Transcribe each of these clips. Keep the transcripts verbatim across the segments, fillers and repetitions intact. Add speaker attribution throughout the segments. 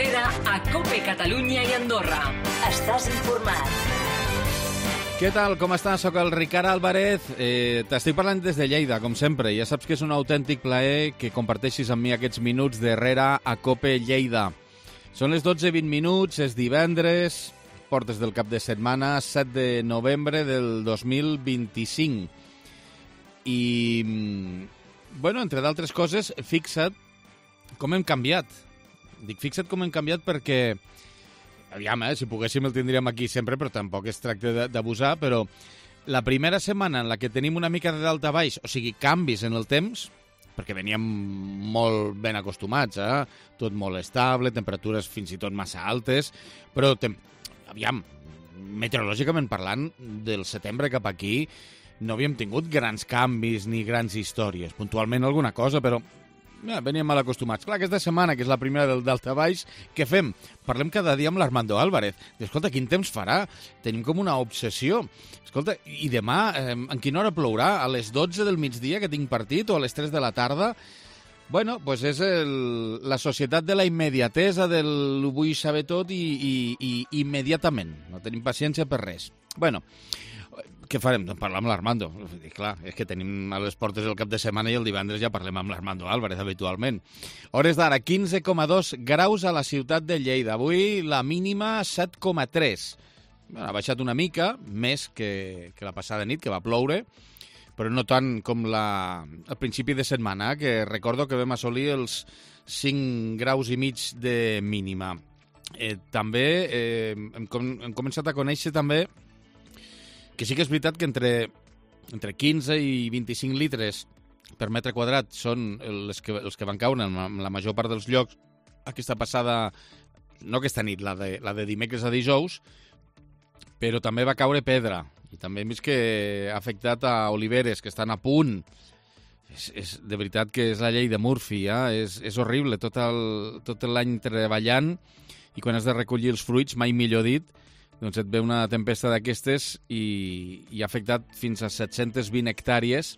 Speaker 1: darrere a COPE Catalunya i Andorra. Estàs informat.
Speaker 2: Què tal? Com estàs? Soc el Ricard Álvarez. Eh, T'estic parlant des de Lleida, com sempre. Ja saps que és un autèntic plaer que comparteixis amb mi aquests minuts darrere a COPE Lleida. Són les dotze i vint minuts, és divendres, portes del cap de setmana, set de novembre del dos mil vint-i-cinc. I, bueno, entre d'altres coses, fixa't com hem canviat. Dic, fixa't com hem canviat perquè, aviam, eh, si poguéssim el tindríem aquí sempre, però tampoc es tracta d'abusar, però la primera setmana en la que tenim una mica de dalt a baix, o sigui, canvis en el temps, perquè veníem molt ben acostumats, eh? Tot molt estable, temperatures fins i tot massa altes, però, tem... aviam, meteorològicament parlant, del setembre cap aquí, no havíem tingut grans canvis ni grans històries. Puntualment alguna cosa, però ja, veníem mal acostumats. Clar, aquesta setmana, que és la primera del daltabaix, què fem? Parlem cada dia amb l'Armando Álvarez. Escolta, quin temps farà? Tenim com una obsessió. Escolta, i demà, eh, en quina hora plourà? A les dotze del migdia, que tinc partit, o a les tres de la tarda? Bueno, doncs és el, la societat de la immediatesa, del vull saber tot i, i, i immediatament. No tenim paciència per res. Bueno, què farem? Doncs parlar amb l'Armando. Clar, és que tenim a les portes el cap de setmana i el divendres ja parlem amb l'Armando Álvarez habitualment. Hores d'ara, quinze coma dos graus a la ciutat de Lleida. Avui la mínima set coma tres. Bueno, ha baixat una mica, més que, que la passada nit, que va ploure, però no tant com la, al principi de setmana, que recordo que vam assolir els cinc graus i mig de mínima. Eh, també eh, hem, com, hem començat a conèixer també que sí que és veritat que entre, entre quinze i vint-i-cinc litres per metre quadrat són els que, els que van caure en la major part dels llocs aquesta passada, no aquesta nit, la de, la de dimecres a dijous, però també va caure pedra. I també hem vist que ha afectat a oliveres, que estan a punt. És, és, de veritat que és la llei de Murphy, eh? és, és horrible, tot el, tot l'any treballant, i quan has de recollir els fruits, mai millor dit, doncs et ve una tempesta d'aquestes i, i ha afectat fins a set-centes vint hectàrees,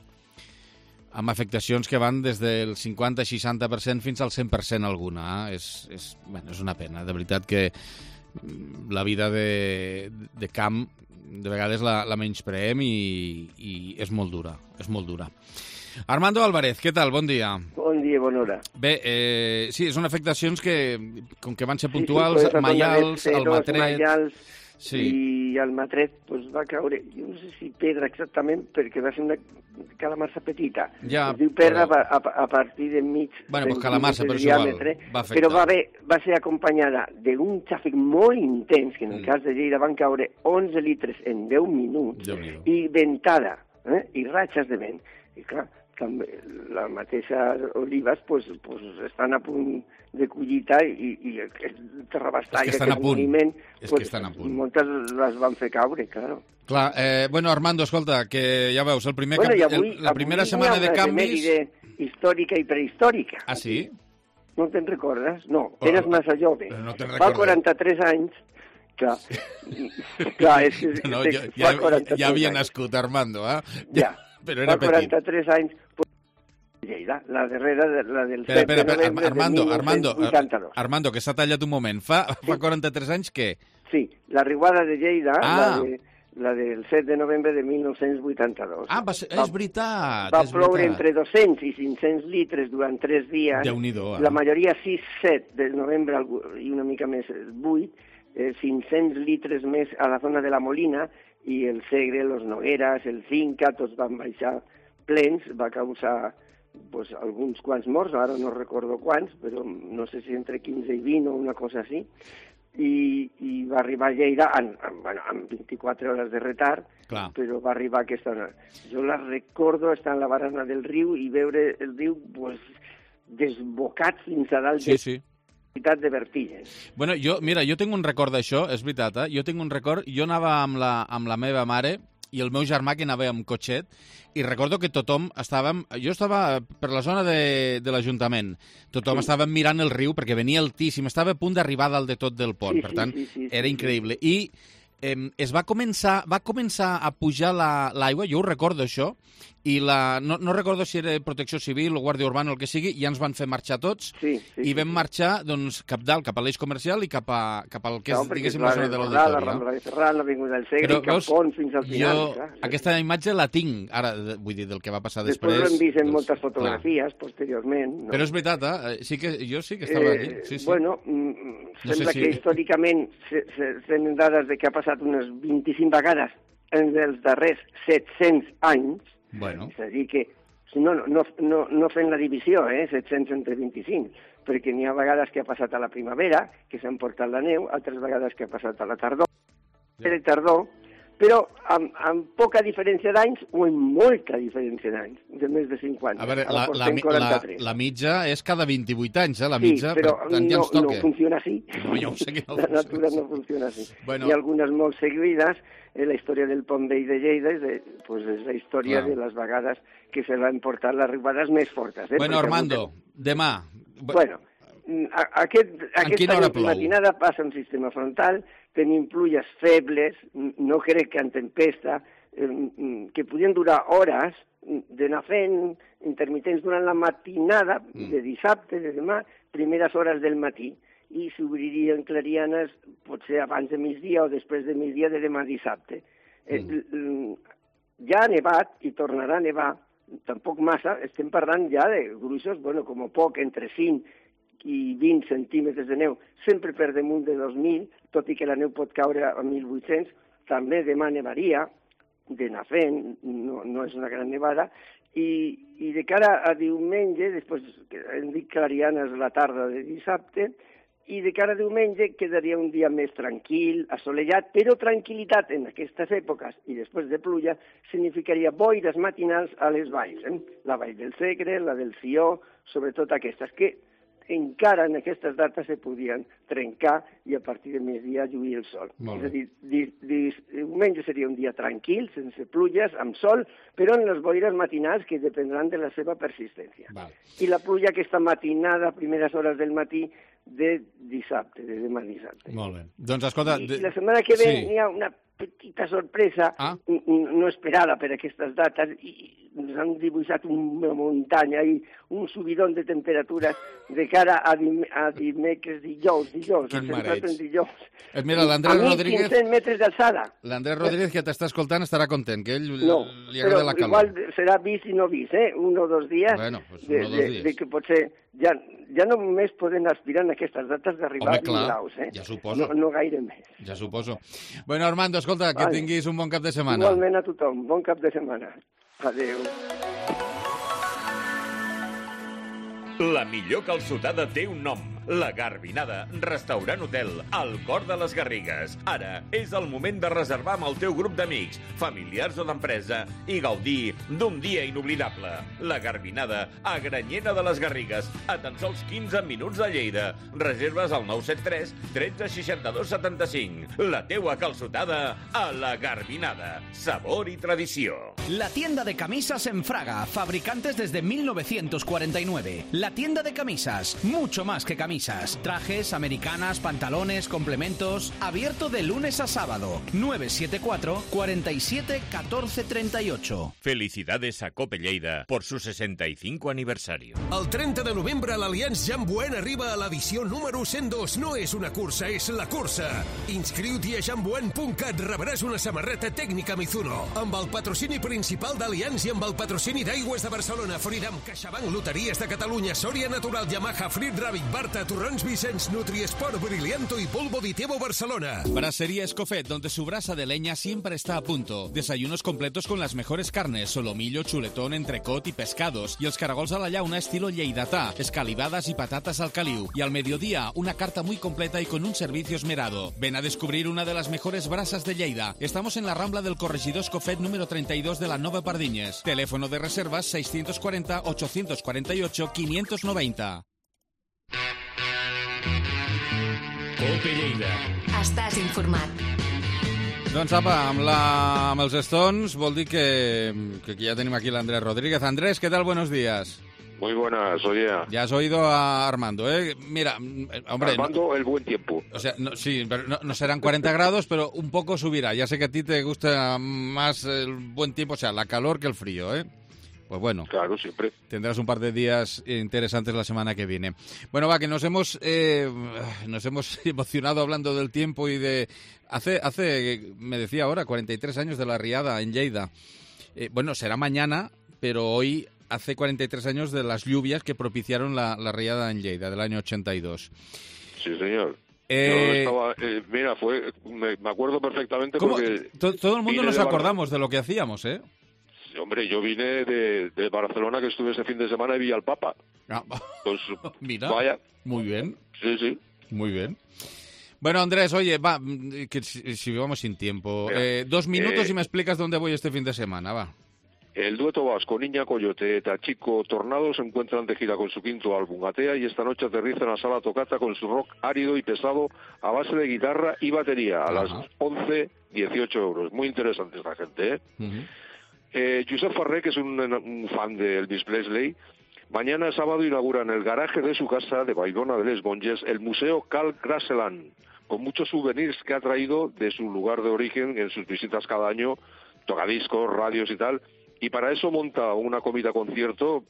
Speaker 2: amb afectacions que van des del cinquanta seixanta per cent fins al cent per cent alguna. Eh? És, és, bueno, és una pena, de veritat que la vida de, de camp de vegades la, la menyspreem i, i és molt dura, és molt dura. Armando Álvarez, què tal? Bon dia.
Speaker 3: Bon dia, bona hora.
Speaker 2: Bé, eh, sí, són afectacions que, com que van ser puntuals, sí, sí, maials, el matret...
Speaker 3: Maials,
Speaker 2: sí.
Speaker 3: I el matret pues, va caure, jo no sé si pedra exactament, perquè va ser una calamarsa petita.
Speaker 2: Ja,
Speaker 3: es diu pedra
Speaker 2: però...
Speaker 3: a, a, a partir de mig...
Speaker 2: Bueno, pues calamarsa, però és igual, va afectar.
Speaker 3: Però va, haver, va ser acompanyada d'un xàfec molt intens, que en el mm. cas de Lleida van caure onze litres en deu minuts, i ventada, eh? I ratxes de vent. I clar, també les mateixes olives pues, pues, estan a punt de collita i, i el terrabastall,
Speaker 2: és que
Speaker 3: aquest moviment,
Speaker 2: és
Speaker 3: pues,
Speaker 2: que estan a punt.
Speaker 3: Moltes les van fer caure, claro.
Speaker 2: Clar, eh, bueno, Armando, escolta, que ja veus, el primer
Speaker 3: bueno,
Speaker 2: cap,
Speaker 3: avui,
Speaker 2: el, la primera
Speaker 3: avui
Speaker 2: setmana de canvis...
Speaker 3: històrica i prehistòrica.
Speaker 2: Ah, sí?
Speaker 3: No te'n recordes? No,
Speaker 2: oh,
Speaker 3: eres massa jove.
Speaker 2: No te'n
Speaker 3: Fa quaranta-tres anys, clar, clar, és que...
Speaker 2: No, ja, ja, ja havia nascut, Armando, eh?
Speaker 3: Ja,
Speaker 2: però era
Speaker 3: fa quaranta-tres petit. Anys... Lleida, la darrera, la del
Speaker 2: espera,
Speaker 3: set de novembre
Speaker 2: Armando,
Speaker 3: de
Speaker 2: Armando,
Speaker 3: vuitanta-dos.
Speaker 2: Armando, que s'ha tallat un moment. Fa, sí. fa quaranta-tres anys què?
Speaker 3: Sí, la riuada de Lleida,
Speaker 2: ah.
Speaker 3: la, de, la del set de novembre de mil nou-cents vuitanta-dos.
Speaker 2: Ah, va ser, va, és veritat.
Speaker 3: Va
Speaker 2: és
Speaker 3: ploure
Speaker 2: veritat.
Speaker 3: entre dos-cents i cinc-cents litres durant tres dies.
Speaker 2: Déu-n'hi-do, eh?
Speaker 3: La majoria sis set de novembre i una mica més vuit, eh, cinc-cents litres més a la zona de la Molina, i el Segre, los Nogueras, el Cinca, tots van baixar plens, va causar pues, alguns quants morts, ara no recordo quants, però no sé si entre quinze i vint o una cosa així, i, i va arribar a Lleida en, en, bueno, en vint-i-quatre hores de retard, clar. Però va arribar aquesta hora. Jo la recordo estar en la barana del riu i veure el riu pues, desbocat fins a dalt
Speaker 2: sí,
Speaker 3: de...
Speaker 2: Sí.
Speaker 3: de vertigen.
Speaker 2: Bueno, jo, mira, jo tinc un record d'això, és veritat, eh? Jo tinc un record, jo anava amb la, amb la meva mare i el meu germà que anava amb cotxet, i recordo que tothom estàvem... Jo estava per la zona de, de l'Ajuntament. Tothom sí. estàvem mirant el riu perquè venia altíssim, estava a punt d'arribar dalt de tot del pont,
Speaker 3: sí,
Speaker 2: per tant,
Speaker 3: sí, sí, sí,
Speaker 2: era
Speaker 3: sí,
Speaker 2: increïble. I eh, es va començar, va començar a pujar l'aigua, la, jo ho recordo això, i la, no, no recordo si era Protecció Civil o Guàrdia Urbana o el que sigui, ja ens van fer marxar tots,
Speaker 3: sí, sí,
Speaker 2: i vam
Speaker 3: sí.
Speaker 2: marxar doncs, cap dalt, cap a l'eix comercial i cap, a, cap al que és,
Speaker 3: no,
Speaker 2: diguéssim, la zona de l'auditori.
Speaker 3: La Rambla de Ferran, l'Avinguda del Segre, i cap Pont fins al final.
Speaker 2: Jo clar, aquesta sí. imatge la tinc, ara, vull dir, del que va passar després.
Speaker 3: Després l'hem vist en
Speaker 2: doncs,
Speaker 3: moltes fotografies, clar. posteriorment. No?
Speaker 2: Però és veritat, eh? Sí que, jo sí que estava
Speaker 3: eh,
Speaker 2: allí. Sí, sí.
Speaker 3: Bueno, mm,
Speaker 2: no
Speaker 3: sembla
Speaker 2: sé si...
Speaker 3: que històricament se, se, tenen dades de que ha passat unes vint-i-cinc vegades en els darrers set-cents anys.
Speaker 2: Bueno.
Speaker 3: És a dir que, no, no, no, no fent la divisió, eh, set-cents entre vint-i-cinc, perquè n'hi ha vegades que ha passat a la primavera, que s'ha emportat la neu, altres vegades que ha passat a la tardor, ja. a la tardor, però amb, amb poca diferència d'anys o amb molta diferència d'anys, de més de cinquanta.
Speaker 2: A veure, la, la, la, la mitja és cada vint-i-vuit anys, eh, la mitja,
Speaker 3: sí, però
Speaker 2: per tant ja ens toca.
Speaker 3: No funciona així.
Speaker 2: No, ja ho sé que no
Speaker 3: la
Speaker 2: funciona
Speaker 3: natura no funciona així.
Speaker 2: Bueno.
Speaker 3: Hi ha algunes molt seguides, eh, la història del Pont Vell de Lleida és, de, pues, és la història Clar. de les vegades que se l'han portat les arribades més fortes. Eh,
Speaker 2: bueno, Armando, que... demà...
Speaker 3: Bueno, a, aquest, aquesta matinada passa un sistema frontal, tenim pluges febles, no crec que en tempesta, eh, que podien durar hores, d'anar fent intermitents durant la matinada, mm. de dissabte, de demà, primeres hores del matí, i s'obririen clarianes potser abans de migdia o després de migdia de demà dissabte. Mm. Eh, ja ha nevat i tornarà a nevar, tampoc massa, estem parlant ja de gruixos, bueno, com a poc, entre cinc i vint centímetres de neu, sempre per damunt de dos mil, tot i que la neu pot caure a mil vuit-cents, també demà nevaria, d'anar fent, no, no és una gran nevada, i, i de cara a diumenge, després hem dit clarianes la tarda de dissabte, i de cara a diumenge quedaria un dia més tranquil, assolellat, però tranquil·litat en aquestes èpoques i després de pluja significaria boires matinals a les valls, eh? La vall del Segre, la del Sió, sobretot aquestes, que encara en aquestes dates se podien trencar i a partir de migdia lluir el sol. És a dir, di, di, diumenge seria un dia tranquil, sense pluges, amb sol, però en les boires matinals que dependran de la seva persistència.
Speaker 2: Val.
Speaker 3: I la pluja aquesta matinada, primeres hores del matí, de dissabte, de demà dissabte.
Speaker 2: Molt bé. Doncs escolta...
Speaker 3: I, i la setmana que ve sí. hi ha una petita sorpresa
Speaker 2: ah.
Speaker 3: no esperada per aquestes dates i ens han dibuixat una muntanya i un subidon de temperatures de cara a, dim a dimecres, dijous, dijous.
Speaker 2: Quin mareig.
Speaker 3: Dijous.
Speaker 2: Eh, mira, l'Andrés Rodríguez...
Speaker 3: quinze metres d'alçada.
Speaker 2: L'Andrés Rodríguez, que t'està escoltant, estarà content, que ell
Speaker 3: no,
Speaker 2: li agrada la calor.
Speaker 3: Igual serà vist i no vist, eh? Un o dos dies,
Speaker 2: bueno, pues
Speaker 3: de,
Speaker 2: uno o dos dies.
Speaker 3: De, de que potser ja, ja no només poden aspirar en aquestes dates d'arribar a vint graus, eh?
Speaker 2: Ja suposo.
Speaker 3: No, no gaire més.
Speaker 2: Ja suposo. Bueno, Armando, escolta, que vale. tinguis un bon cap de setmana.
Speaker 3: Igualment a tothom, bon cap de setmana. Adéu.
Speaker 4: La millor calçotada té un nom. La Garbinada, restaurant hotel, al cor de les Garrigues. Ara és el moment de reservar amb el teu grup d'amics, familiars o d'empresa i gaudir d'un dia inoblidable. La Garbinada, a Granyena de les Garrigues, a tan sols quinze minuts de Lleida. Reserves al nou set tres, tretze, seixanta-dos, setanta-cinc. La teua calçotada a La Garbinada. Sabor y tradició.
Speaker 5: La tienda de camisas en Fraga, fabricantes desde mil novecientos cuarenta y nueve. La tienda de camisas, mucho más que camisas. Trajes, americanas, pantalones, complementos. Abierto de lunes a sábado. nueve siete cuatro, cuarenta y siete, catorce treinta y ocho.
Speaker 4: Felicidades a Cope Lleida por su sesenta y cinco aniversario.
Speaker 6: El trenta de novembre l'Allianz Jean Buen arriba a l'edició número cent dos. No és una cursa, és la cursa. Inscriu-t'hi a jean buen punt cat. Rebràs una samarreta tècnica Mizuno. Amb el patrocini principal d'Allianz i amb el patrocini d'Aigües de Barcelona, Freedom, CaixaBank, Loteries de Catalunya, Sòria Natural, Yamaha, Frit Rabbit, Barta, Torrons Vicens, Nutriesport, Brillianto y Polvo Ditebo Barcelona.
Speaker 2: Brasería Escofet, donde su brasa de leña siempre está a punto. Desayunos completos con las mejores carnes, solomillo, chuletón, entrecot y pescados. Y els caragols a la llauna estilo lleidatà, escalivadas y patatas al caliu. Y al mediodía, una carta muy completa y con un servicio esmerado. Ven a descubrir una de las mejores brasas de Lleida. Estamos en la Rambla del Corregidor Escofet número treinta y dos de la Nova Pardiñes. Teléfono de reservas seiscientos cuarenta, ochocientos cuarenta y ocho, quinientos noventa.
Speaker 4: Cope Lleida.
Speaker 1: Estàs informat.
Speaker 2: Doncs apa, amb, la, amb els Stones vol dir que, que ja tenim aquí l'Andrés Rodríguez. Andrés, què tal? Buenos días.
Speaker 7: Muy buenas, oye.
Speaker 2: Ya has oído a Armando, ¿eh? Mira, hombre...
Speaker 7: Armando,
Speaker 2: no,
Speaker 7: el buen tiempo.
Speaker 2: O sea, no, sí, pero no, no serán cuarenta grados, pero un poco subirá. Ya sé que a ti te gusta más el buen tiempo, o sea, la calor que el frío, ¿eh? Pues bueno,
Speaker 7: claro, siempre.
Speaker 2: Tendrás un par de días interesantes la semana que viene. Bueno, va, que nos hemos eh, nos hemos emocionado hablando del tiempo y de... Hace, hace me decía ahora, cuarenta y tres años de la riada en Lleida. Eh, bueno, será mañana, pero hoy hace cuarenta y tres años de las lluvias que propiciaron la, la riada en Lleida, del año ochenta y dos.
Speaker 7: Sí, señor.
Speaker 2: Eh...
Speaker 7: Yo estaba, eh, mira, fue, me, me acuerdo perfectamente
Speaker 2: ¿Cómo?
Speaker 7: porque...
Speaker 2: Todo, todo el mundo nos
Speaker 7: de
Speaker 2: acordamos Bar... de lo que hacíamos, ¿eh?
Speaker 7: Hombre, yo vine de, de Barcelona, que estuve ese fin de semana y vi al Papa.
Speaker 2: Ah,
Speaker 7: pues,
Speaker 2: mira,
Speaker 7: vaya.
Speaker 2: Muy bien.
Speaker 7: Sí, sí.
Speaker 2: Muy bien. Bueno, Andrés, oye, va, que si, si vamos sin tiempo. Eh, dos minutos
Speaker 7: eh,
Speaker 2: y me explicas dónde voy este fin de semana, va.
Speaker 7: El dueto vasco Niña Coyote, Tachico, Tornado se encuentran de gira con su quinto álbum, Atea, y esta noche aterriza en la Sala Tocata con su rock árido y pesado a base de guitarra y batería, a Ajá. las once, dieciocho euros. Muy interesante esta gente, ¿eh? Uh-huh. Eh, Josep Farré, que es un, un fan de Elvis Presley, mañana sábado inaugura en el garaje de su casa de Baidona de Les Monges el Museo Carl Graceland, con muchos souvenirs que ha traído de su lugar de origen en sus visitas cada año, tocadiscos, radios y tal, y para eso monta una comida concierto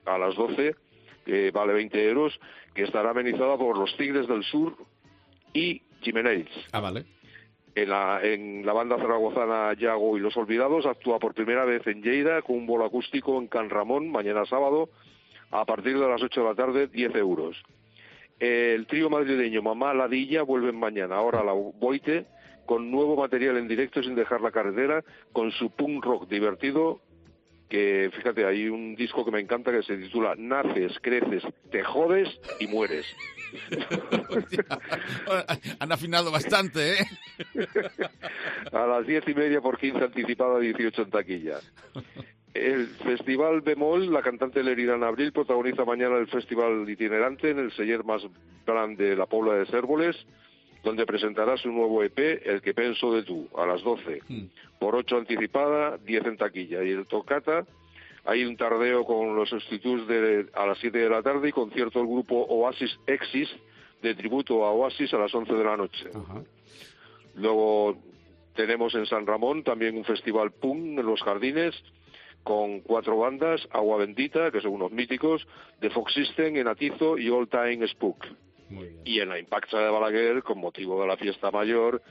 Speaker 7: a las doce, que vale veinte euros, que estará amenizada por los Tigres del Sur y Jiménez.
Speaker 2: Ah, vale.
Speaker 7: En la, en la banda zaragozana Yago y Los Olvidados actúa por primera vez en Lleida con un bolo acústico en Can Ramón mañana sábado a partir de las ocho de la tarde, diez euros. El trío madrileño Mamá Ladilla vuelven mañana, ahora a la Boite, con nuevo material en directo sin dejar la carretera, con su punk rock divertido, que fíjate, hay un disco que me encanta que se titula Naces, creces, te jodes y mueres.
Speaker 2: Han afinado bastante, ¿eh?
Speaker 7: A las diez y media por quince anticipada, dieciocho en taquilla. El Festival Bemol, la cantante Leridana Abril protagoniza mañana el Festival Itinerante en el celler más grande de la Pobla de Cérvoles, donde presentará su nuevo E P, El que penso de tú, a las doce. Mm. Por ocho anticipada, diez en taquilla. Y el Tocata, hay un tardeo con los sustitutos de, a las siete de la tarde y concierto del grupo Oasis Exis, de tributo a Oasis, a las once de la noche. Uh-huh. Luego tenemos en San Ramón también un festival punk en Los Jardines, con cuatro bandas, Agua Bendita, que son unos míticos, The Fox System, Enatizo y All Time Spook. Y en la Impacta de Balaguer, con motivo de la fiesta mayor,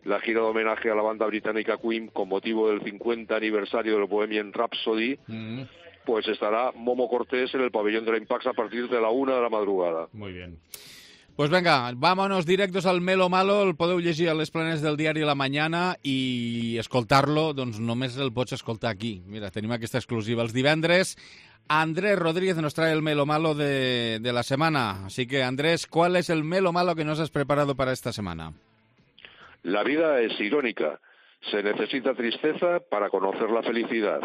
Speaker 7: la gira de homenaje a la banda británica Queen, con motivo del cincuenta aniversario del Bohemian Rhapsody, mm. pues estará Momo Cortés en el pabellón de la Impacta a partir de la una de la madrugada.
Speaker 2: Muy bien. Pues venga, vámonos directos al Melo Malo, el podeu llegir a les planes del diari La Mañana i escoltar-lo, doncs només el pots escoltar aquí. Mira, tenim aquesta exclusiva els divendres. Andrés Rodríguez nos trae el Melo Malo de, de la semana. Así que, Andrés, ¿cuál es el Melo Malo que nos has preparado para esta semana?
Speaker 7: La vida es irónica. Se necesita tristeza para conocer la felicidad,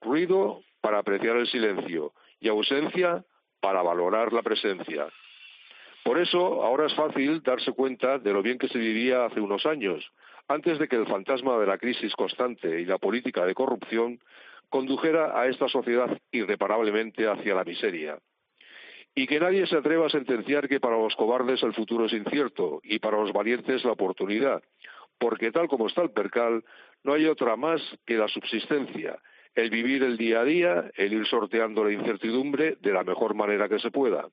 Speaker 7: ruido para apreciar el silencio y ausencia para valorar la presencia. Por eso, ahora es fácil darse cuenta de lo bien que se vivía hace unos años, antes de que el fantasma de la crisis constante y la política de corrupción condujera a esta sociedad irreparablemente hacia la miseria. Y que nadie se atreva a sentenciar que para los cobardes el futuro es incierto y para los valientes la oportunidad, porque tal como está el percal, no hay otra más que la subsistencia, el vivir el día a día, el ir sorteando la incertidumbre de la mejor manera que se pueda.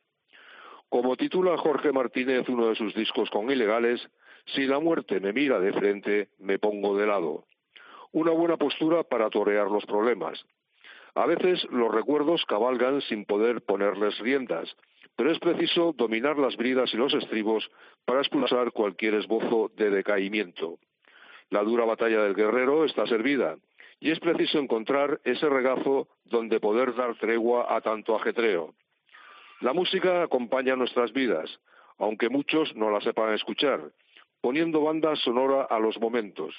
Speaker 7: Como titula Jorge Martínez uno de sus discos con Ilegales, si la muerte me mira de frente, me pongo de lado. Una buena postura para torear los problemas. A veces los recuerdos cabalgan sin poder ponerles riendas, pero es preciso dominar las bridas y los estribos para expulsar cualquier esbozo de decaimiento. La dura batalla del guerrero está servida, y es preciso encontrar ese regazo donde poder dar tregua a tanto ajetreo. La música acompaña nuestras vidas, aunque muchos no la sepan escuchar, poniendo banda sonora a los momentos.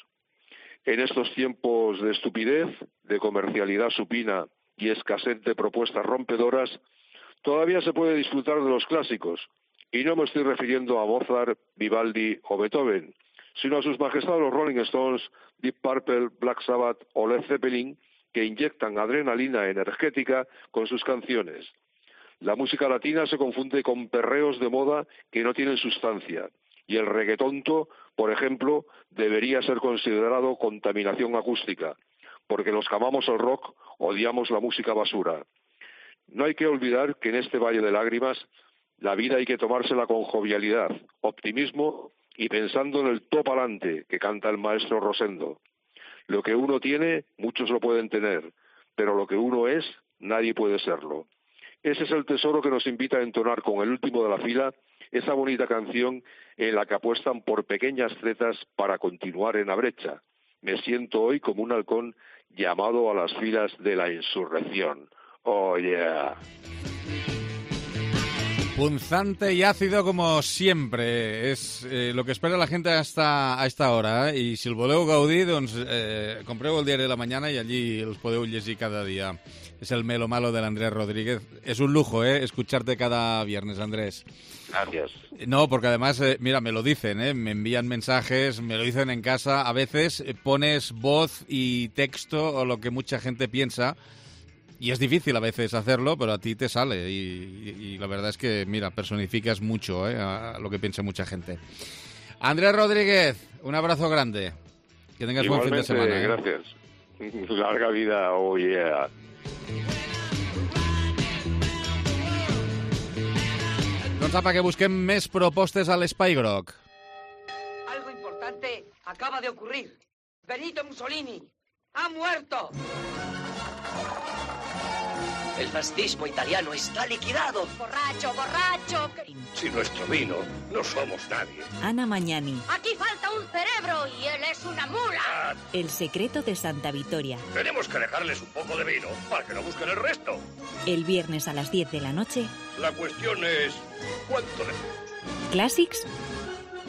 Speaker 7: En estos tiempos de estupidez, de comercialidad supina y escasez de propuestas rompedoras, todavía se puede disfrutar de los clásicos, y no me estoy refiriendo a Mozart, Vivaldi o Beethoven, sino a sus majestades los Rolling Stones, Deep Purple, Black Sabbath o Led Zeppelin, que inyectan adrenalina energética con sus canciones. La música latina se confunde con perreos de moda que no tienen sustancia. Y el reggaetonto, por ejemplo, debería ser considerado contaminación acústica, porque los que amamos el rock odiamos la música basura. No hay que olvidar que en este valle de lágrimas la vida hay que tomársela con jovialidad, optimismo y pensando en el top alante que canta el maestro Rosendo. Lo que uno tiene, muchos lo pueden tener, pero lo que uno es, nadie puede serlo. Ese es el tesoro que nos invita a entonar con el último de la fila esa bonita canción en la que apuestan por pequeñas tretas para continuar en la brecha. Me siento hoy como un halcón llamado a las filas de la insurrección. Oh, yeah.
Speaker 2: Punzante y ácido como siempre. És eh, lo que espera la gente hasta a esta hora. Eh? I si el voleu gaudir, doncs eh, compreu el diari de la mañana i allí els podeu llegir cada dia. Es el melo malo del Andrés Rodríguez. Es un lujo, ¿eh? Escucharte cada viernes, Andrés.
Speaker 7: Gracias.
Speaker 2: No, porque además, eh, mira, me lo dicen, ¿eh? Me envían mensajes, me lo dicen en casa. A veces eh, pones voz y texto o lo que mucha gente piensa. Y es difícil a veces hacerlo, pero a ti te sale. Y, y, y la verdad es que, mira, personificas mucho, ¿eh? A lo que piensa mucha gente. Andrés Rodríguez, un abrazo grande. Que tengas
Speaker 7: Igualmente,
Speaker 2: buen fin de semana. ¿eh?
Speaker 7: Gracias. Larga vida, oh yeah.
Speaker 2: Doncs apa, que busquem més propostes a l'Espai Groc.
Speaker 8: Algo importante acaba de ocurrir. Benito Mussolini ha muerto.
Speaker 9: El fascismo italiano está liquidado.
Speaker 10: Borracho, borracho.
Speaker 11: Sin nuestro vino no somos nadie.
Speaker 12: Ana Mañani.
Speaker 10: Aquí falta un cerebro y él es una mula.
Speaker 12: El secreto de Santa Vitoria.
Speaker 11: Tenemos que dejarles un poco de vino para que no busquen el resto.
Speaker 12: El viernes a las diez de la noche.
Speaker 11: La cuestión es, ¿cuánto de...?
Speaker 12: Classics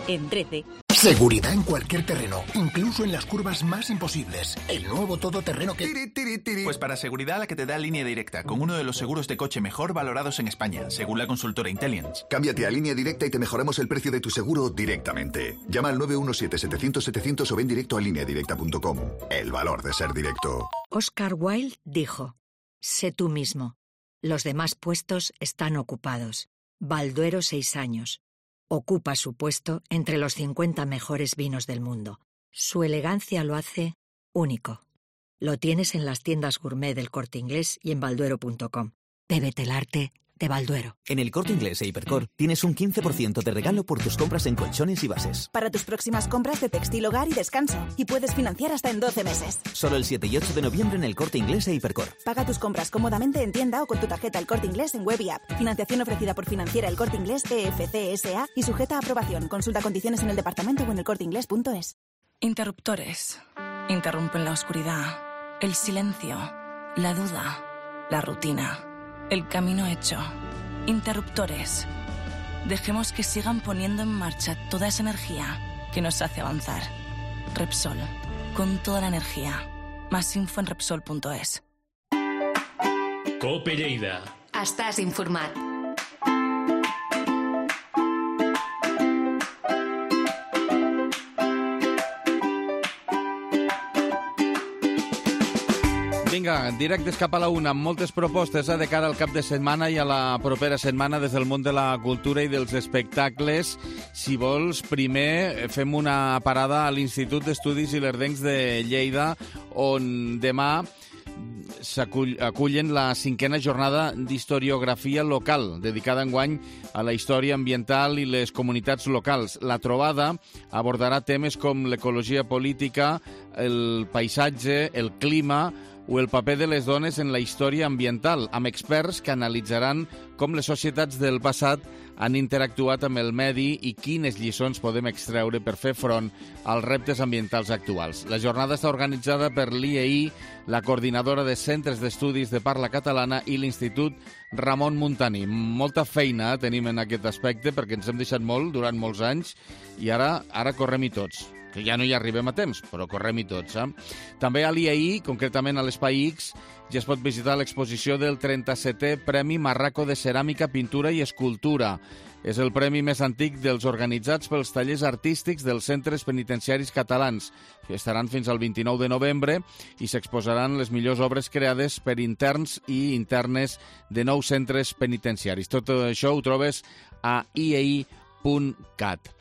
Speaker 12: en trece.
Speaker 13: Seguridad en cualquier terreno, incluso en las curvas más imposibles. El nuevo todoterreno que...
Speaker 14: Tiri, tiri, tiri. Pues para seguridad la que te da Línea Directa, con uno de los seguros de coche mejor valorados en España, según la consultora Intelliance.
Speaker 15: Cámbiate a Línea Directa y te mejoramos el precio de tu seguro directamente. Llama al nueve uno siete, setecientos, setecientos o ven directo a línea directa punto com. El valor de ser directo.
Speaker 16: Oscar Wilde dijo: sé tú mismo. Los demás puestos están ocupados. Balduero, seis años. Ocupa su puesto entre los cincuenta mejores vinos del mundo. Su elegancia lo hace único. Lo tienes en las tiendas gourmet del Corte Inglés y en balduero punto com. Bébete el arte de Balduero.
Speaker 17: En el Corte Inglés e Hipercor tienes un quince por ciento de regalo por tus compras en colchones y bases.
Speaker 18: Para tus próximas compras de textil, hogar y descanso. Y puedes financiar hasta en doce meses.
Speaker 17: Solo el siete y ocho de noviembre en el Corte Inglés e Hipercor.
Speaker 18: Paga tus compras cómodamente en tienda o con tu tarjeta El Corte Inglés en web y app. Financiación ofrecida por Financiera El Corte Inglés E F C S A y sujeta a aprobación. Consulta condiciones en el departamento o en el corte inglés punto es.
Speaker 19: Interruptores. Interrumpen la oscuridad, el silencio, la duda, la rutina, el camino hecho. Interruptores. Dejemos que sigan poniendo en marcha toda esa energía que nos hace avanzar. Repsol. Con toda la energía. Más info en repsol punto es.
Speaker 1: Cope Lleida.
Speaker 20: Estàs informat.
Speaker 2: Vinga, directes cap a la una, amb moltes propostes eh, de cara al cap de setmana i a la propera setmana des del món de la cultura i dels espectacles. Si vols, primer fem una parada a l'Institut d'Estudis Ilerdencs de Lleida, on demà s'acullen la cinquena jornada d'historiografia local, dedicada enguany a la història ambiental i les comunitats locals. La trobada abordarà temes com l'ecologia política, el paisatge, el clima o el paper de les dones en la història ambiental, amb experts que analitzaran com les societats del passat han interactuat amb el medi i quines lliçons podem extreure per fer front als reptes ambientals actuals. La jornada està organitzada per l'I E I, la coordinadora de centres d'estudis de parla catalana i l'Institut Ramon Muntaní. Molta feina tenim en aquest aspecte perquè ens hem deixat molt durant molts anys i ara ara correm-hi tots. Que ja no hi arribem a temps, però correm-hi tots. Eh? També a l'I A I, concretament a l'Espai X, ja es pot visitar l'exposició del trenta-setè Premi Marraco de Ceràmica, Pintura i Escultura. És el premi més antic dels organitzats pels tallers artístics dels centres penitenciaris catalans. Estaran fins al vint-i-nou de novembre i s'exposaran les millors obres creades per interns i internes de nou centres penitenciaris. Tot això ho trobes a i e i punt cat.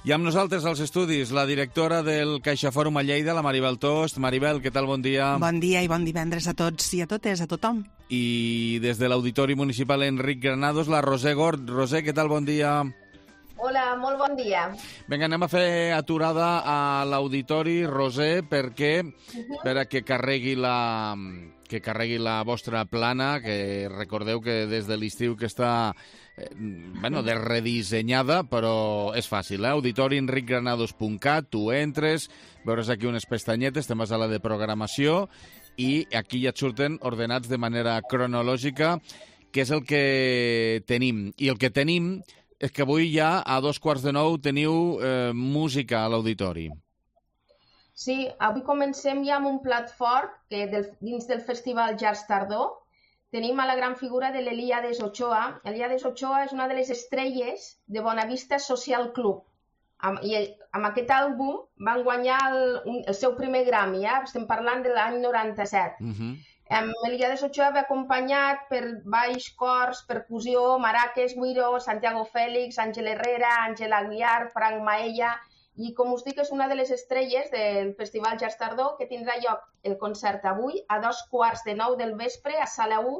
Speaker 2: I amb nosaltres als estudis la directora del CaixaFòrum a Lleida, la Maribel Tost. Maribel, què tal? Bon dia.
Speaker 20: Bon dia i bon divendres a tots i a totes, a tothom.
Speaker 2: I des de l'Auditori Municipal Enric Granados, la Roser Gord. Roser, què tal? Bon dia.
Speaker 21: Hola, molt bon dia.
Speaker 2: Vinga, anem a fer aturada a l'Auditori, Roser, perquè uh-huh. per a que carregui la... que carregui la vostra plana, que recordeu que des de l'estiu que està eh, bueno, de redissenyada, però és fàcil, eh? auditori enric granados punt cat, tu entres, veuràs aquí unes pestanyetes, te'n vas a la de programació, i aquí ja et surten ordenats de manera cronològica, que és el que tenim. I el que tenim és que avui ja a dos quarts de nou teniu eh, música a l'auditori.
Speaker 21: Sí, avui comencem ja amb un plat fort que del, dins del Festival Jazz Tardor tenim a la gran figura de l'Elíades Ochoa. Elíades Ochoa és una de les estrelles de Bonavista Social Club. Am, I amb aquest àlbum van guanyar el, el seu primer Grammy, ja? Estem parlant de l'any noranta-set. Uh-huh. Um, Elíades Ochoa va acompanyat per baix, cors, percussió, maraques, güiro, Santiago Félix, Àngel Herrera, Àngel Aguiar, Frank Maella... I, com us dic, és una de les estrelles del Festival Jazz Tardor que tindrà lloc el concert avui a dos quarts de nou del vespre a Sala u.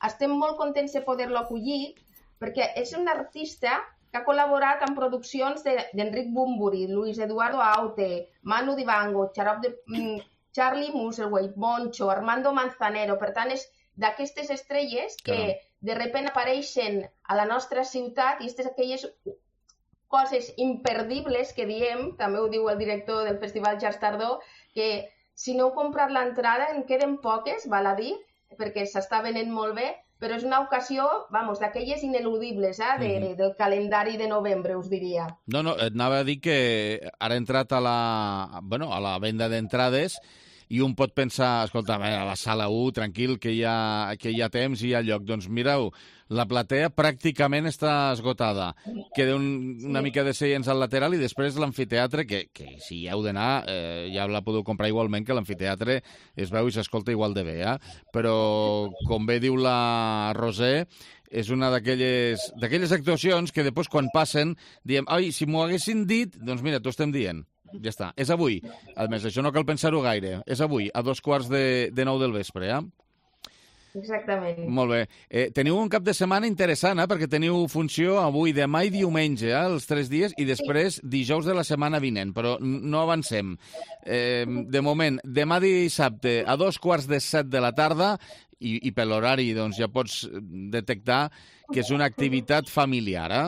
Speaker 21: Estem molt contents de poder-lo acollir perquè és un artista que ha col·laborat en produccions d'Enric Bunbury, Luis Eduardo Aute, Manu Dibango, Xarop de, mm, Charlie Musselwhite, Moncho, Armando Manzanero. Per tant, és d'aquestes estrelles que Caram. de repent apareixen a la nostra ciutat i aquestes aquelles coses imperdibles que diem, també ho diu el director del Festival Jazz Tardor, que si no heu comprat l'entrada en queden poques, val a dir, perquè s'està venent molt bé, però és una ocasió, vamos, d'aquelles ineludibles, eh, de, mm-hmm. del calendari de novembre, us diria.
Speaker 2: No, no, et anava a dir que ara ha entrat a la, bueno, a la venda d'entrades i un pot pensar, escolta, a la Sala u, tranquil, que hi ha, que hi ha temps i hi ha lloc. Doncs mireu, la platea pràcticament està esgotada. Queda un, una mica de seients al lateral i després l'amfiteatre, que, que si hi heu d'anar, eh, ja la podeu comprar igualment, que l'amfiteatre es veu i s'escolta igual de bé, eh? Però, com bé diu la Roser, és una d'aquelles d'aquelles actuacions que després, quan passen, diem, ai, si m'ho haguessin dit, doncs mira, t'ho estem dient. Ja està, és avui. A més, això no cal pensar-ho gaire. És avui, a dos quarts de, de nou del vespre, eh?
Speaker 21: Exactament.
Speaker 2: Molt bé. Eh, teniu un cap de setmana interessant, eh? Perquè teniu funció avui, demà i diumenge, eh? Els tres dies, i després dijous de la setmana vinent, però no avancem. Eh, de moment, demà dissabte, a dos quarts de set de la tarda, i, i per l'horari doncs, ja pots detectar que és una activitat familiar, eh?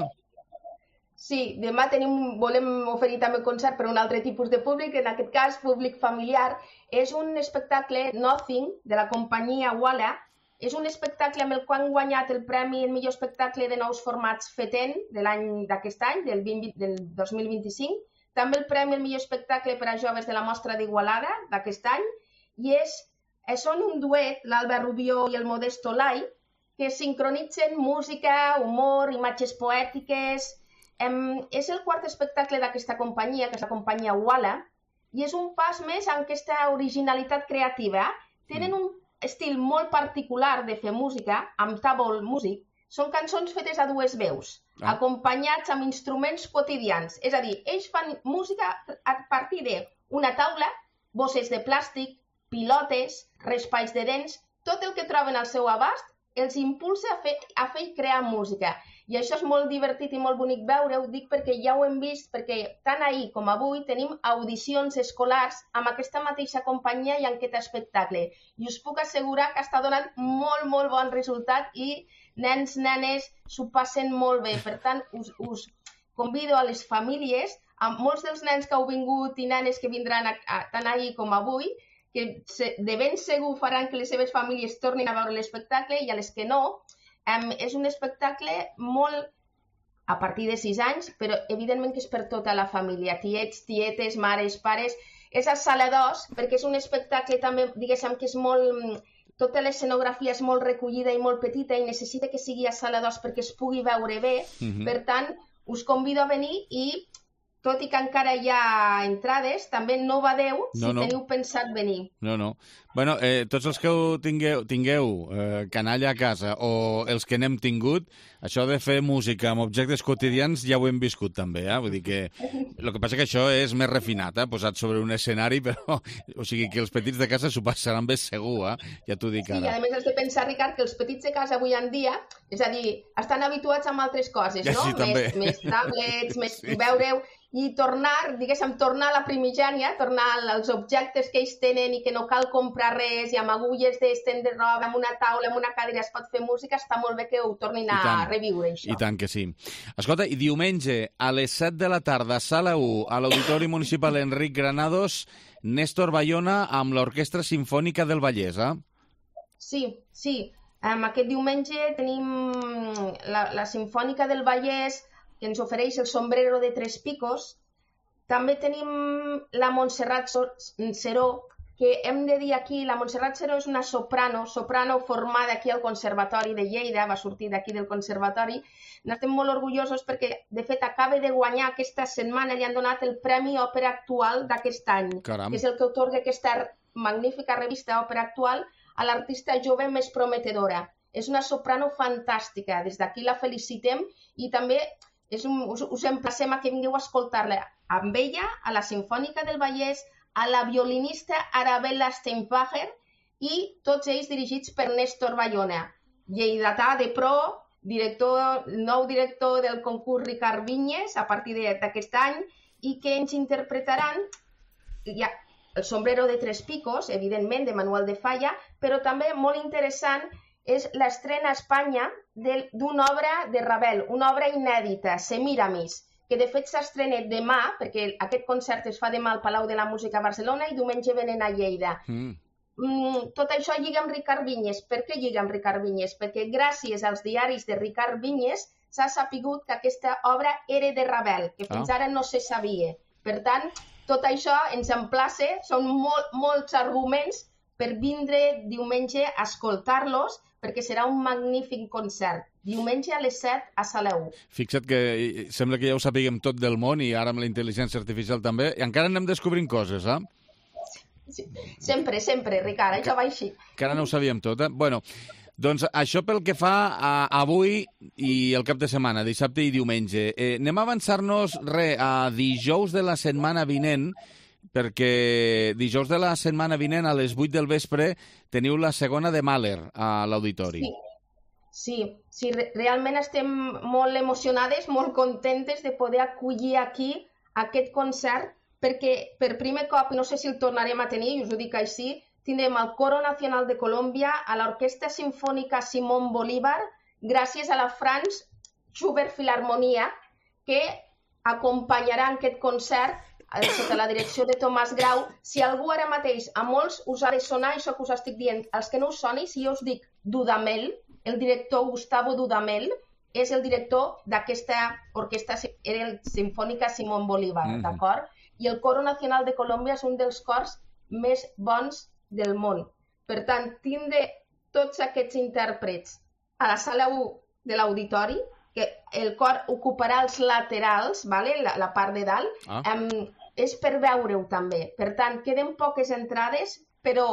Speaker 21: Sí, demà tenim, volem oferir també concert per a un altre tipus de públic, en aquest cas públic familiar. És un espectacle Nothing, de la companyia Walla. És un espectacle amb el qual han guanyat el premi el millor espectacle de nous formats FETEN de l'any d'aquest any, del, vint, del dos mil vint-i-cinc. També el premi el millor espectacle per a joves de la Mostra d'Igualada d'aquest any. I és, són un duet, l'Alba Rubió i el Modesto Lai, que sincronitzen música, humor, imatges poètiques. Um, és el quart espectacle d'aquesta companyia, que és la companyia Walla, i és un pas més en aquesta originalitat creativa. Tenen un estil molt particular de fer música, amb table music. Són cançons fetes a dues veus, ah. acompanyats amb instruments quotidians. És a dir, ells fan música a partir d'una taula, bosses de plàstic, pilotes, raspalls de dents, tot el que troben al seu abast els impulsa a fer, a fer i crear música. I això és molt divertit i molt bonic veure, ho dic perquè ja ho hem vist, perquè tant ahir com avui tenim audicions escolars amb aquesta mateixa companyia i en aquest espectacle. I us puc assegurar que està donant molt, molt bon resultat i nens, nenes s'ho passen molt bé. Per tant, us, us convido a les famílies, a molts dels nens que heu vingut i nenes que vindran a, a, tant ahir com avui, que de ben segur faran que les seves famílies tornin a veure l'espectacle i a les que no, um, és un espectacle molt a partir de sis anys, però evidentment que és per tota la família, tiets, tietes, mares, pares. És a Sala dos, perquè és un espectacle també, diguéssim, que és molt tota l'escenografia és molt recollida i molt petita i necessita que sigui a sala dos perquè es pugui veure bé. Mm-hmm. Per tant, us convido a venir i, tot i que encara hi ha entrades, també no badeu si
Speaker 2: no, no.
Speaker 21: teniu pensat venir.
Speaker 2: No, no. Bueno, eh, tots els que ho tingueu, tingueu eh, canalla a casa o els que n'hem tingut, això de fer música amb objectes quotidians ja ho hem viscut també, eh? Vull dir que el que passa que això és més refinat, eh? Posat sobre un escenari, però o sigui que els petits de casa s'ho passaran bé segur, eh? Ja t'ho dic ara.
Speaker 21: Sí, i a més has de pensar, Ricard, que els petits de casa avui en dia, és a dir, estan habituats amb altres coses,
Speaker 2: ja,
Speaker 21: no?
Speaker 2: Sí, més,
Speaker 21: més tablets, més
Speaker 2: sí.
Speaker 21: Veureu, i tornar, diguéssim, tornar a la primigènia, tornar als objectes que ells tenen i que no cal comprar res, i amb agulles d'estendre roba, amb una taula, amb una cadira es pot fer música, està molt bé que ho tornin a reviure, això.
Speaker 2: I tant que sí. Escolta, i diumenge a les set de la tarda, sala u, a l'Auditori Municipal Enric Granados, Néstor Bayona amb l'Orquestra Simfònica del Vallès, eh?
Speaker 21: Sí, sí. Um, aquest diumenge tenim la, la Simfònica del Vallès, que ens ofereix el Sombrero de Tres Picos. També tenim la Montserrat Seró, que hem de dir aquí, la Montserrat Seró és una soprano, soprano formada aquí al Conservatori de Lleida, va sortir d'aquí del Conservatori. N'estem molt orgullosos perquè, de fet, acaba de guanyar aquesta setmana, li han donat el Premi Òpera Actual d'aquest any,
Speaker 2: Caram.
Speaker 21: que és el que atorga aquesta magnífica revista Òpera Actual a l'artista jove més prometedora. És una soprano fantàstica, des d'aquí la felicitem i també és un, us, us emplacem a que vingueu a escoltar-la amb ella, a la Simfònica del Vallès, a la violinista Arabella Steinbacher i tots ells dirigits per Néstor Bayona, lleidatà de pro, director, nou director del concurs Ricard Vinyes a partir d'aquest any i que ens interpretaran ja, el Sombrero de Tres Picos, evidentment, de Manuel de Falla, però també molt interessant és l'estrena a Espanya d'una obra de Ravel, una obra inèdita, Semiramis, que de fet s'estrena demà, perquè aquest concert es fa demà al Palau de la Música a Barcelona i diumenge venen a Lleida. Mm. Mm, tot això lliga amb Ricard Vinyes. Per què lliga amb Ricard Vinyes? Perquè gràcies als diaris de Ricard Vinyes s'ha sapigut que aquesta obra era de Ravel, que fins ah. ara no se sabia. Per tant, tot això ens emplaça, són molt, molts arguments per vindre diumenge a escoltar-los, perquè serà un magnífic concert. Diumenge a les set a Sala u.
Speaker 2: Fixa't que sembla que ja ho sapiguem tot del món i ara amb la intel·ligència artificial també, i encara anem descobrint coses, eh?
Speaker 21: Sí, sempre, sempre, Ricard, això va així.
Speaker 2: Que ara no ho sabíem tot, eh? Bueno, doncs això pel que fa a avui i el cap de setmana, dissabte i diumenge. Eh, anem a avançar-nos, re, a dijous de la setmana vinent, perquè dijous de la setmana vinent a les vuit del vespre teniu la segona de Mahler a l'auditori.
Speaker 21: Sí, sí, sí, realment estem molt emocionades, molt contentes de poder acollir aquí aquest concert, perquè per primer cop, no sé si el tornarem a tenir, i us ho dic així, tindrem el Coro Nacional de Colòmbia, a l'Orquestra Simfònica Simón Bolívar, gràcies a la Franz Schubert Filharmonia, que acompanyarà aquest concert sota la direcció de Tomàs Grau. Si algú ara mateix, a molts us ha de sonar això que us estic dient, els que no us soni, si jo us dic Dudamel, el director Gustavo Dudamel, és el director d'aquesta orquestra, era el Simfònica Simón Bolívar, mm-hmm. d'acord? I el Coro Nacional de Colòmbia és un dels cors més bons del món. Per tant, tindre tots aquests intèrprets a la sala u de l'auditori, que el cor ocuparà els laterals, vale? la, la part de dalt, ah. um, és per veure-ho també. Per tant, queden poques entrades, però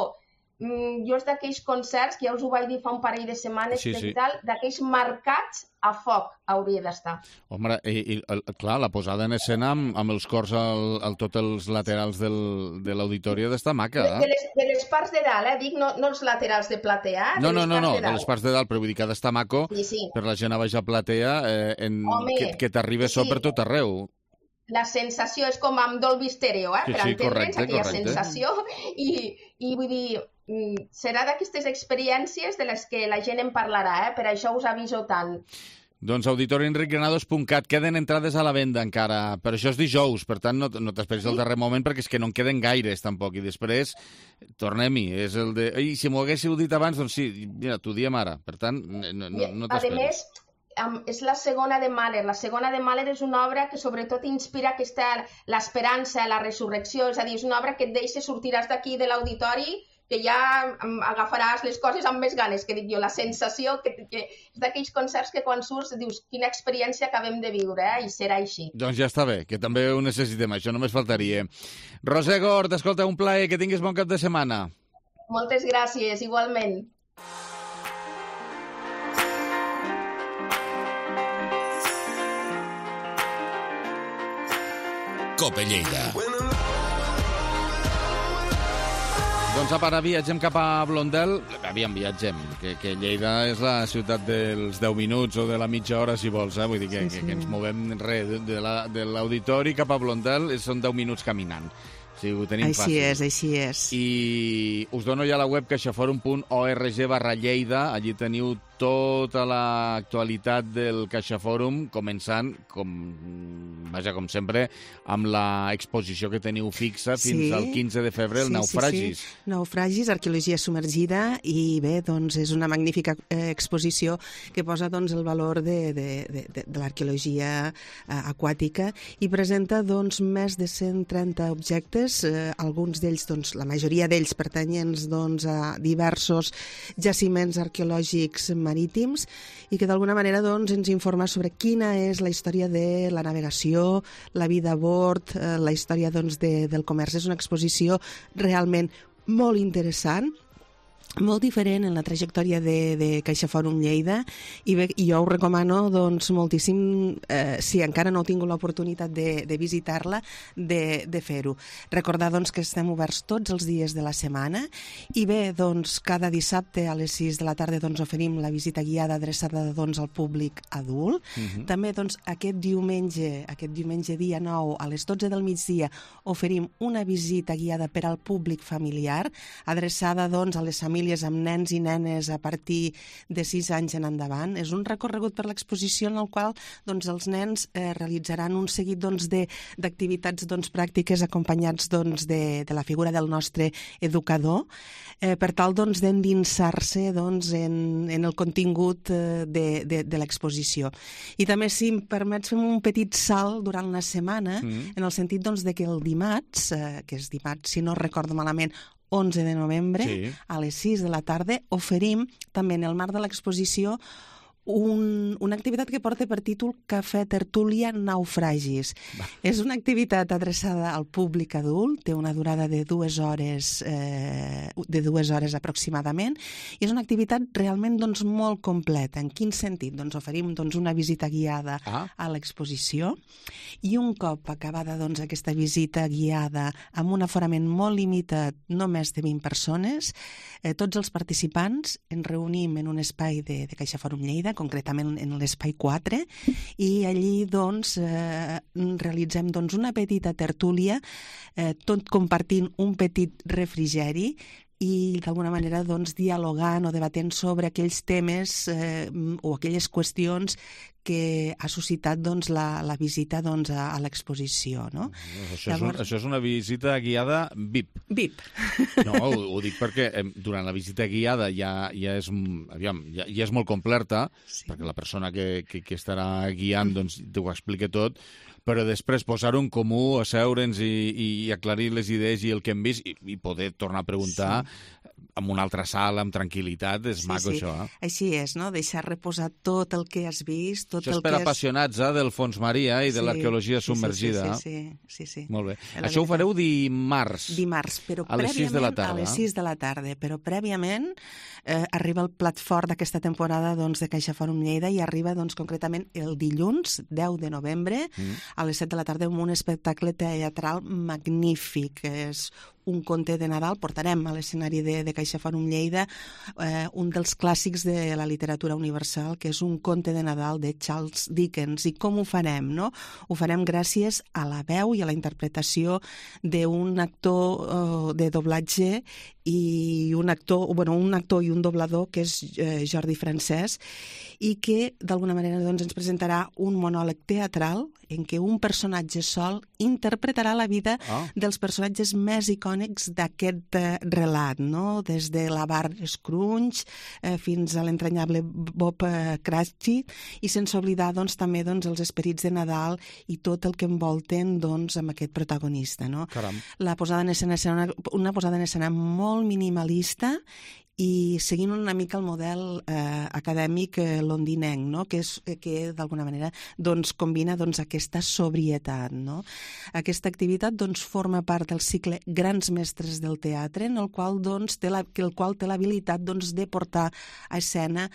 Speaker 21: um, jo és d'aquells concerts, que ja us ho vaig dir fa un parell de setmanes, sí, sí. d'aquells marcats a foc hauria d'estar.
Speaker 2: Home, i, i clar, la posada en escena amb, amb els cors al, al tots els laterals del, de l'auditori ha d'estar maca. Eh?
Speaker 21: De, les, de les parts de dalt, eh? Dic, no, no els laterals de platea.
Speaker 2: No,
Speaker 21: de
Speaker 2: no, no, no, de,
Speaker 21: de
Speaker 2: les parts de dalt, però vull dir que ha d'estar maco
Speaker 21: sí, sí.
Speaker 2: per la gent a baix a platea, eh, en, Home, que, que t'arribi sí. so per tot arreu.
Speaker 21: La sensació és com amb Dolby Stereo, eh?
Speaker 2: Sí,
Speaker 21: per
Speaker 2: sí,
Speaker 21: entendre's
Speaker 2: correcte,
Speaker 21: aquella
Speaker 2: correcte.
Speaker 21: sensació. I, I vull dir, serà d'aquestes experiències de les que la gent en parlarà, eh? Per això us aviso tant.
Speaker 2: Doncs auditori enric granados punt cat, queden entrades a la venda encara, però això és dijous, per tant no, no t'esperis sí. al darrer moment perquè és que no en queden gaires tampoc, i després tornem-hi, és el de... Ei, si m'ho haguéssiu dit abans, doncs sí, mira, t'ho diem ara, per tant no, no, no t'esperis.
Speaker 21: A més, és la segona de Mahler. La segona de Mahler és una obra que sobretot inspira aquesta l'esperança, la resurrecció, és a dir, és una obra que et deixa, sortiràs d'aquí de l'auditori que ja agafaràs les coses amb més ganes, que dic jo, la sensació que, que és d'aquells concerts que quan surts dius quina experiència acabem de viure, eh? I serà així.
Speaker 2: Doncs ja està bé, que també ho necessitem, això només faltaria. Roser Gort, escolta, un plaer, que tinguis bon cap de setmana.
Speaker 21: Moltes gràcies, igualment.
Speaker 6: Cope Lleida.
Speaker 2: Doncs apa, ara viatgem cap a Blondel. Aviam, viatgem, que, que Lleida és la ciutat dels deu minuts o de la mitja hora, si vols, eh? Vull dir que, sí, sí. que, que ens movem res de, la, de l'auditori cap a Blondel, són deu minuts caminant. O sigui, ho tenim
Speaker 20: així
Speaker 2: fàcil.
Speaker 20: és, així és.
Speaker 2: I us dono ja la web caixaforum punt org barra Lleida. Allí teniu tota l'actualitat del CaixaForum, començant, com, vaja, com sempre, amb l'exposició que teniu fixa fins sí. al quinze de febrer, el sí, Naufragis.
Speaker 20: Sí, sí. Naufragis, arqueologia submergida, i bé, doncs és una magnífica eh, exposició que posa doncs, el valor de, de, de, de, de l'arqueologia eh, aquàtica i presenta doncs, més de cent trenta objectes, eh, alguns d'ells, doncs, la majoria d'ells pertanyents doncs, a diversos jaciments arqueològics marítims i que d'alguna manera doncs, ens informa sobre quina és la història de la navegació, la vida a bord, eh, la història doncs, de, del comerç. És una exposició realment molt interessant, molt diferent en la trajectòria de, de CaixaForum Lleida i, bé, i jo ho recomano doncs, moltíssim, eh, si encara no heu tingut l'oportunitat de, de visitar-la, de, de fer-ho. Recordar doncs, que estem oberts tots els dies de la setmana i bé, doncs, cada dissabte a les sis de la tarda doncs, oferim la visita guiada adreçada doncs, al públic adult. Uh-huh. També doncs, aquest diumenge, aquest diumenge dia nou a les dotze del migdia oferim una visita guiada per al públic familiar adreçada doncs, a les famílies amb nens i nenes a partir de sis anys en endavant. És un recorregut per l'exposició en el qual doncs, els nens eh, realitzaran un seguit doncs, d'activitats doncs, pràctiques acompanyats doncs, de, de la figura del nostre educador eh, per tal doncs, d'endinsar-se doncs, en, en el contingut eh, de, de, de l'exposició. I també, si em permets, fem un petit salt durant la setmana mm. en el sentit doncs, de que el dimarts, eh, que és dimarts, si no recordo malament, onze de novembre, sí. a les sis de la tarda, oferim també en el marc de l'exposició un, una activitat que porta per títol Cafè Tertúlia Naufragis. Va. És una activitat adreçada al públic adult, té una durada de dues hores, eh, de dues hores aproximadament, i és una activitat realment doncs, molt completa. En quin sentit? Doncs oferim doncs, una visita guiada ah. a l'exposició i un cop acabada doncs, aquesta visita guiada amb un aforament molt limitat, no més de vint persones, eh, tots els participants ens reunim en un espai de, de CaixaForum Lleida, concretament en l'espai quatre, i allí doncs, eh, realitzem doncs, una petita tertúlia, eh, tot compartint un petit refrigeri i d'alguna manera doncs, dialogant o debatent sobre aquells temes eh, o aquelles qüestions que ha suscitat doncs, la, la visita doncs, a, a l'exposició. No?
Speaker 2: Això, Llavors... és un, això és una visita guiada V I P.
Speaker 20: V I P.
Speaker 2: No, ho, ho dic perquè eh, durant la visita guiada ja, ja, és, aviam, ja, ja és molt completa, sí. perquè la persona que, que, que estarà guiant doncs, t'ho explica tot, però després posar-ho en comú, asseure'ns i, i aclarir les idees i el que hem vist i, i poder tornar a preguntar sí. en una altra sala, amb tranquil·litat, és sí, maco sí. això. Eh?
Speaker 20: Així és, no? Deixar reposar tot el que has vist, tot
Speaker 2: això és
Speaker 20: el
Speaker 2: per
Speaker 20: que
Speaker 2: apassionats eh, del fons marí eh, i de sí, l'arqueologia submergida.
Speaker 20: Sí, sí, sí, sí, sí.
Speaker 2: Molt bé. La això ho fareu dimarts.
Speaker 20: Dimarts, però
Speaker 2: a les sis de la tarda.
Speaker 20: A les sis de la tarda, però prèviament eh, arriba el plat fort d'aquesta temporada doncs, de CaixaForum Lleida i arriba doncs, concretament el dilluns, deu de novembre, mm. a les set de la tarda amb un espectacle teatral magnífic. És un conte de Nadal, portarem a l'escenari de, de CaixaForum Lleida eh, un dels clàssics de la literatura universal, que és un conte de Nadal de Charles Dickens. I com ho farem? No? Ho farem gràcies a la veu i a la interpretació d'un actor eh, de doblatge i un actor, bueno, un actor i un doblador que és eh, Jordi Francès, i que d'alguna manera doncs, ens presentarà un monòleg teatral en què un personatge sol interpretarà la vida ah. dels personatges més icònics arquitectònics d'aquest eh, relat, no? Des de la Bar Scrooge eh, fins a l'entranyable Bob eh, Cratchit, i sense oblidar doncs, també doncs, els esperits de Nadal i tot el que envolten doncs, amb aquest protagonista. No?
Speaker 2: Caram.
Speaker 20: La posada en escena és una, una posada en escena molt minimalista i seguint una mica el model eh, acadèmic eh, londinenc, no? que, és, que d'alguna manera doncs, combina doncs, aquesta sobrietat. No? Aquesta activitat doncs, forma part del cicle Grans Mestres del Teatre, en el qual, doncs, té la, el qual té l'habilitat doncs, de portar a escena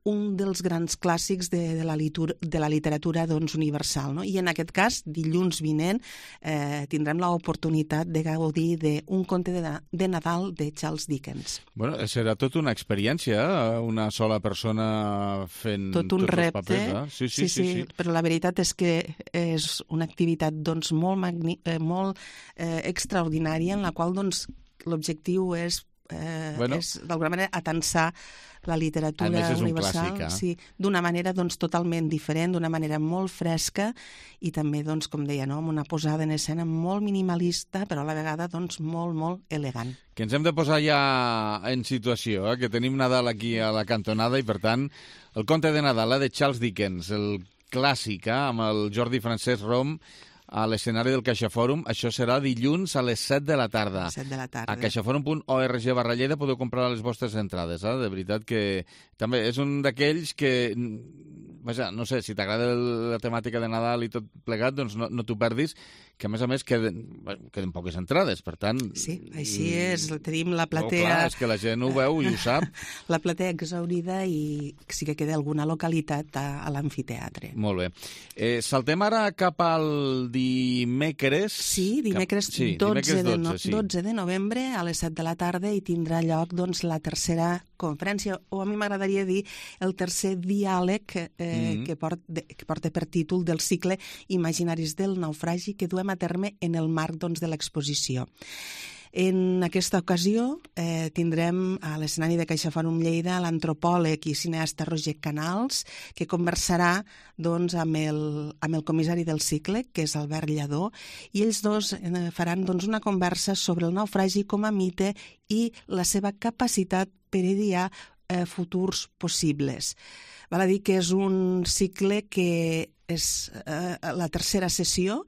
Speaker 20: un dels grans clàssics de, de, la, litur, de la literatura doncs, universal. No? I en aquest cas, dilluns vinent, eh, tindrem l'oportunitat de gaudir d'un conte de, de Nadal de Charles Dickens.
Speaker 2: Bueno, serà tota una experiència, una sola persona fent
Speaker 20: tot un
Speaker 2: tots
Speaker 20: repte,
Speaker 2: els papers. Eh? Sí, sí,
Speaker 20: sí, sí,
Speaker 2: sí, sí,
Speaker 20: però la veritat és que és una activitat doncs, molt, magni eh, molt eh, extraordinària, en la qual doncs, l'objectiu és Eh, bueno, és d'alguna manera atensar la literatura universal
Speaker 2: clàssic, eh?
Speaker 20: sí, d'una manera doncs, totalment diferent, d'una manera molt fresca i també, doncs, com deia, no? amb una posada en escena molt minimalista però a la vegada doncs, molt, molt elegant.
Speaker 2: Que ens hem de posar ja en situació, eh? que tenim Nadal aquí a la cantonada i per tant el conte de Nadal eh? de Charles Dickens, el clàssic eh? amb el Jordi Francesc Rom a l'escenari del CaixaFòrum. Això serà dilluns a les set de la tarda.
Speaker 20: set de la tarda.
Speaker 2: A caixaforum punt org barra Lleida podeu comprar les vostres entrades. Eh? De veritat que també és un d'aquells que, vaja, no sé, si t'agrada la temàtica de Nadal i tot plegat, doncs no, no t'ho perdis, que a més a més queden, queden poques entrades, per tant...
Speaker 20: Sí, així és, tenim la platea...
Speaker 2: Oh, clar, és que la gent ho veu i ho sap.
Speaker 20: La platea exhaurida i sí que queda alguna localitat a, a l'amfiteatre.
Speaker 2: Molt bé. Eh, saltem ara cap al dimecres...
Speaker 20: Sí, dimecres,
Speaker 2: cap... sí,
Speaker 20: dotze,
Speaker 2: dimecres dotze,
Speaker 20: de no...
Speaker 2: sí.
Speaker 20: dotze de novembre a les set de la tarda i tindrà lloc doncs, la tercera conferència, o a mi m'agradaria dir el tercer diàleg eh, mm-hmm. que, port, de, que porta per títol del cicle Imaginaris del naufragi que duem a terme en el marc doncs, de l'exposició. En aquesta ocasió eh, tindrem a l'escenari de CaixaFòrum Lleida l'antropòleg i cineasta Roger Canals, que conversarà doncs, amb, el, amb el comissari del cicle, que és Albert Lladó, i ells dos eh, faran doncs, una conversa sobre el naufragi com a mite i la seva capacitat per idear eh, futurs possibles. Val a dir que és un cicle que és eh, la tercera sessió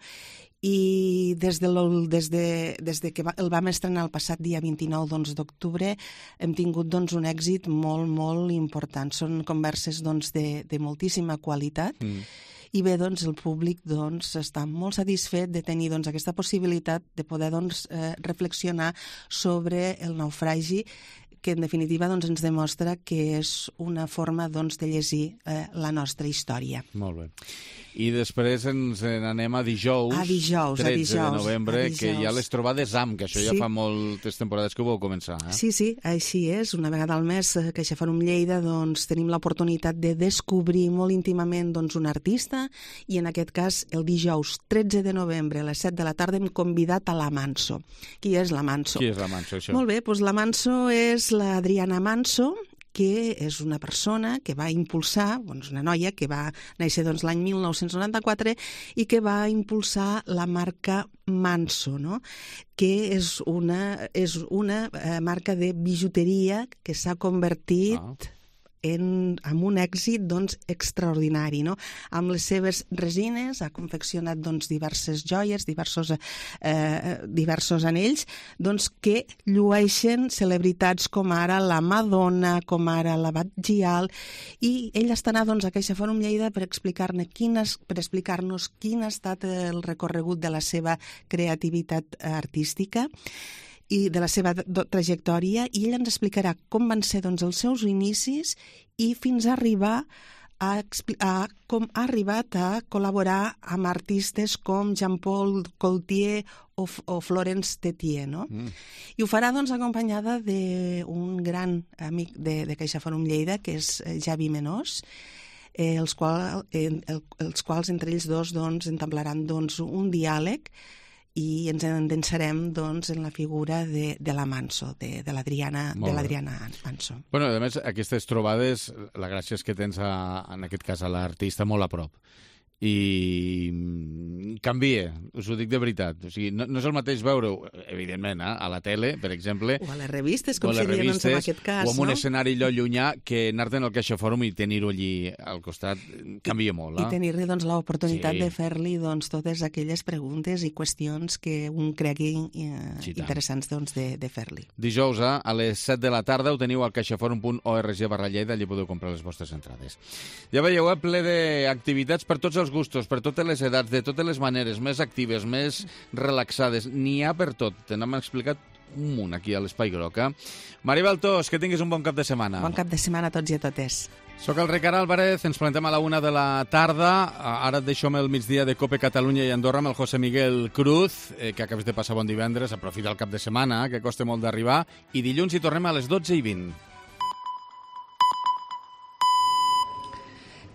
Speaker 20: i des de, des de, des de que el vam estrenar el passat dia vint-i-nou d'octubre hem tingut doncs, un èxit molt, molt important. Són converses doncs, de, de moltíssima qualitat mm. i bé, doncs, el públic doncs, està molt satisfet de tenir doncs, aquesta possibilitat de poder doncs, eh, reflexionar sobre el naufragi, que en definitiva doncs, ens demostra que és una forma doncs, de llegir eh, la nostra història.
Speaker 2: Molt bé. I després ens n'anem a dijous,
Speaker 20: a dijous
Speaker 2: tretze
Speaker 20: a dijous,
Speaker 2: de novembre,
Speaker 20: a dijous.
Speaker 2: que hi ha les trobades A M, que això
Speaker 20: sí.
Speaker 2: ja fa moltes temporades que ho vau començar. Eh?
Speaker 20: Sí, sí, així és. Una vegada al mes a CaixaFòrum Lleida doncs, tenim l'oportunitat de descobrir molt íntimament doncs, un artista i en aquest cas el dijous tretze de novembre a les set de la tarda hem convidat a la Manso. Qui és la Manso?
Speaker 2: Qui és la Manso, això?
Speaker 20: Molt bé, doncs la Manso és l'Adriana Manso, que és una persona que va impulsar, doncs una noia que va néixer doncs, l'any mil nou-cents noranta-quatre i que va impulsar la marca Manso, no? que és una, és una eh, marca de bijuteria que s'ha convertit... Ah. En, amb un èxit doncs, extraordinari. No? Amb les seves resines ha confeccionat doncs, diverses joies, diversos, eh, diversos anells doncs, que llueixen celebritats com ara la Madonna, com ara la Batgial, i ell estarà doncs, a CaixaFòrum Lleida per explicar-nos quines, per explicar-nos quin ha estat el recorregut de la seva creativitat artística i de la seva trajectòria, i ell ens explicarà com van ser doncs, els seus inicis i fins a arribar a, a com ha arribat a col·laborar amb artistes com Jean-Paul Gaultier o, o Florence Tetier, no? Mm. I ho farà doncs, acompanyada d'un gran amic de, de CaixaFòrum Lleida, que és Javi Menós, eh, els, qual, eh, el, els quals entre ells dos doncs, entablaran doncs, un diàleg i ens endensarem doncs, en la figura de, de la Manso, de, de l'Adriana Manso.
Speaker 2: Bueno, a més, aquestes trobades, la gràcia és que tens, a, en aquest cas, a l'artista molt a prop. I canvia us ho dic de veritat. O sigui, no, no és el mateix veure-ho, evidentment, eh, a la tele, per exemple,
Speaker 20: o a les revistes, com seria doncs, en aquest cas,
Speaker 2: o en
Speaker 20: no?
Speaker 2: un escenari allò llunyà, que anar-te'n al CaixaForum i tenir-ho allí al costat canvia molt.
Speaker 20: I,
Speaker 2: eh?
Speaker 20: i tenir-li doncs, l'oportunitat
Speaker 2: Sí.
Speaker 20: de fer-li doncs, totes aquelles preguntes i qüestions que un cregui eh,
Speaker 2: Sí, tant.
Speaker 20: interessants doncs, de, de fer-li.
Speaker 2: Dijous, eh, a les set de la tarda, ho teniu al caixaforum punt org barra Lleida, allí podeu comprar les vostres entrades. Ja veieu, eh, ple d'activitats per tots els gustos, per totes les edats, de totes les maneres, més actives, més relaxades. N'hi ha per tot. Te n'hem explicat un munt aquí a l'Espai Groc. Eh? Maribel Tos, que tinguis un bon cap de setmana.
Speaker 20: Bon cap de setmana a tots i a totes.
Speaker 2: Soc el Ricard Álvarez, ens plantem a la una de la tarda. Ara et deixo amb el migdia de Cope Catalunya i Andorra amb el José Miguel Cruz, eh, que acabes de passar bon divendres. Aprofita el cap de setmana, que costa molt d'arribar. I dilluns hi tornem a les dotze i vint.